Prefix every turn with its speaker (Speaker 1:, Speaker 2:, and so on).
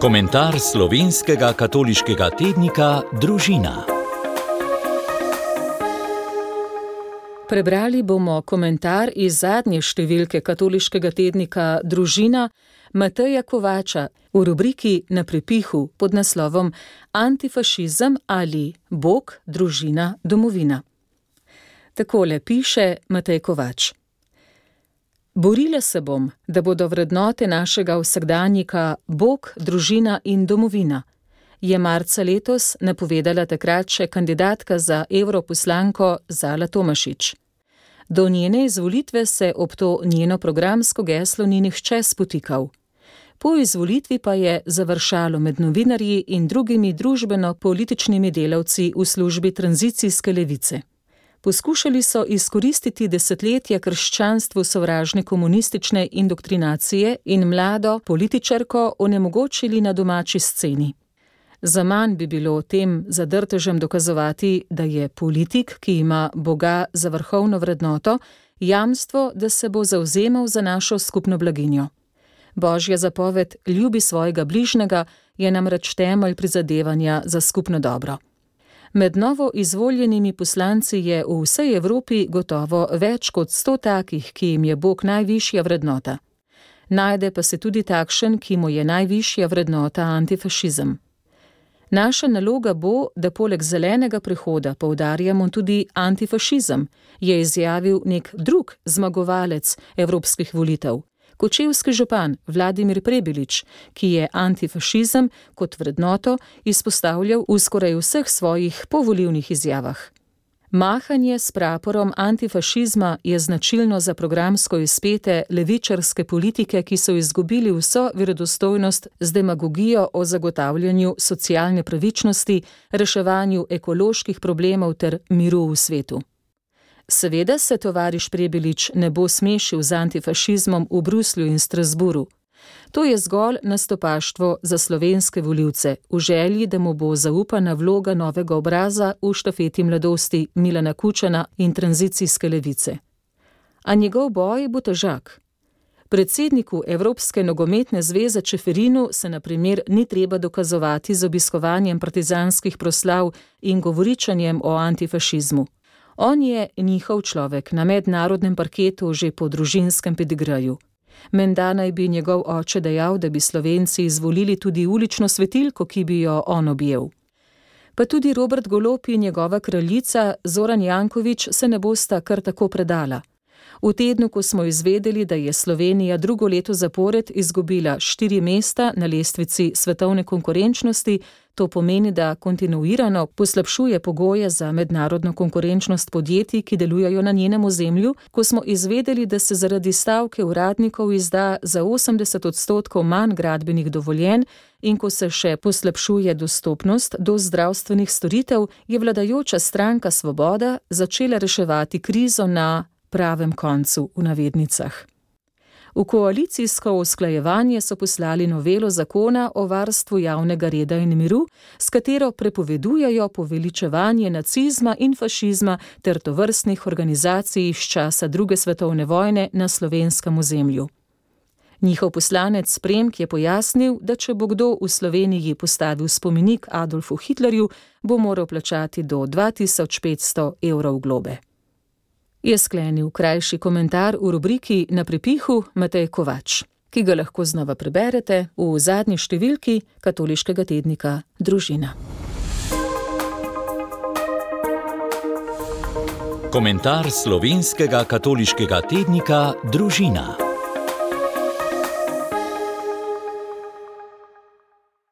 Speaker 1: Komentar slovenskega katoliškega tednika Družina.
Speaker 2: Prebrali bomo komentar iz zadnje številke katoliškega tednika Družina Mateja Kovača v rubriki Na prepihu pod naslovom Antifašizem ali Bog, družina, domovina. Takole piše Matej Kovač. Borila se bom, da bodo vrednote našega vsakdanjika Bog, družina in domovina, je marca letos napovedala takrat še kandidatka za evroposlanko Zala Tomašič. Do njene izvolitve se ob to njeno programsko geslo ni nihče spotikal. Po izvolitvi pa je završalo med novinarji in drugimi družbeno-političnimi delavci v službi tranzicijske levice. Poskušali so izkoristiti desetletja krščanstvu sovražne komunistične indoktrinacije in mlado političarko onemogočili na domači sceni. Zaman bi bilo tem zadrtežem dokazovati, da je politik, ki ima Boga za vrhovno vrednoto, jamstvo, da se bo zavzemal za našo skupno blaginjo. Božja zapoved ljubi svojega bližnjega je namreč temelj prizadevanja za skupno dobro. Med novo izvoljenimi poslanci je v vsej Evropi gotovo več kot 100 takih, ki jim je Bog najvišja vrednota. Najde pa se tudi takšen, ki mu je najvišja vrednota antifašizem. Naša naloga bo, da poleg zelenega prehoda poudarjamo tudi antifašizem, je izjavil nek drug zmagovalec evropskih volitev, kočevski župan Vladimir Prebilič, ki je antifašizem kot vrednoto izpostavljal v skoraj vseh svojih povolilnih izjavah. Mahanje s praporom antifašizma je značilno za programsko izpete levičarske politike, ki so izgubili vso verodostojnost z demagogijo o zagotavljanju socialne pravičnosti, reševanju ekoloških problemov ter miru v svetu. Seveda se tovariš Prebilič ne bo smešil z antifašizmom v Bruslju in Strasburu. To je zgolj nastopaštvo za slovenske volivce, v želji, da mu bo zaupana vloga novega obraza v štafeti mladosti Milana Kučana in tranzicijske levice. A njegov boj bo težak. Predsedniku Evropske nogometne zveze Čeferinu se na primer ni treba dokazovati z obiskovanjem partizanskih proslav in govoričanjem o antifašizmu. On je njihov človek na mednarodnem parketu že po družinskem pedigreju. Menda naj bi njegov oče dejal, da bi Slovenci izvolili tudi ulično svetilko, ki bi jo on objel. Pa tudi Robert Golob in njegova kraljica Zoran Janković se ne bosta kar tako predala. V tednu, ko smo izvedeli, da je Slovenija drugo leto zapored izgubila 4 mesta na lestvici svetovne konkurenčnosti, to pomeni, da kontinuirano poslabšuje pogoje za mednarodno konkurenčnost podjetij, ki delujejo na njenem ozemlju, ko smo izvedeli, da se zaradi stavke uradnikov izda za 80% manj gradbenih dovoljenj in ko se še poslabšuje dostopnost do zdravstvenih storitev, je vladajoča stranka Svoboda začela reševati krizo na pravem koncu v navednicah. V koalicijsko usklajevanje so poslali novelo zakona o varstvu javnega reda in miru, s katero prepovedujejo poveličevanje nacizma in fašizma ter tovrstnih organizacij iz časa druge svetovne vojne na slovenskem ozemlju. Njihov poslanec Premk je pojasnil, da če bo kdo v Sloveniji postavil spomenik Adolfu Hitlerju, bo moral plačati do 2500 evrov globe. Je sklenil krajši komentar v rubriki Na prepihu Matej Kovač, ki ga lahko znova preberete v zadnji številki katoliškega tednika Družina.
Speaker 1: Komentar slovenskega katoliškega tednika Družina.